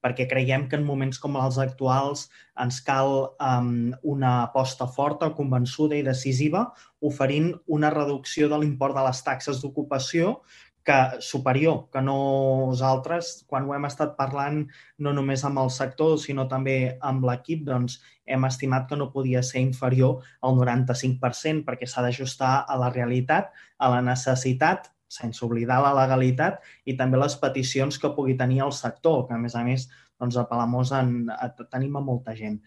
perquè creiem que en moments com els actuals ens cal una aposta forta, convençuda i decisiva, oferint una reducció de l'import de les taxes d'ocupació superior, que nosaltres, quan ho hem estat parlant no només amb el sector, sinó també amb l'equip, doncs hem estimat que no podia ser inferior al 95% perquè s'ha d'ajustar a la realitat, a la necessitat, sense oblidar la legalitat i també les peticions que pugui tenir el sector, que a més doncs a Palamós tenim a molta gent.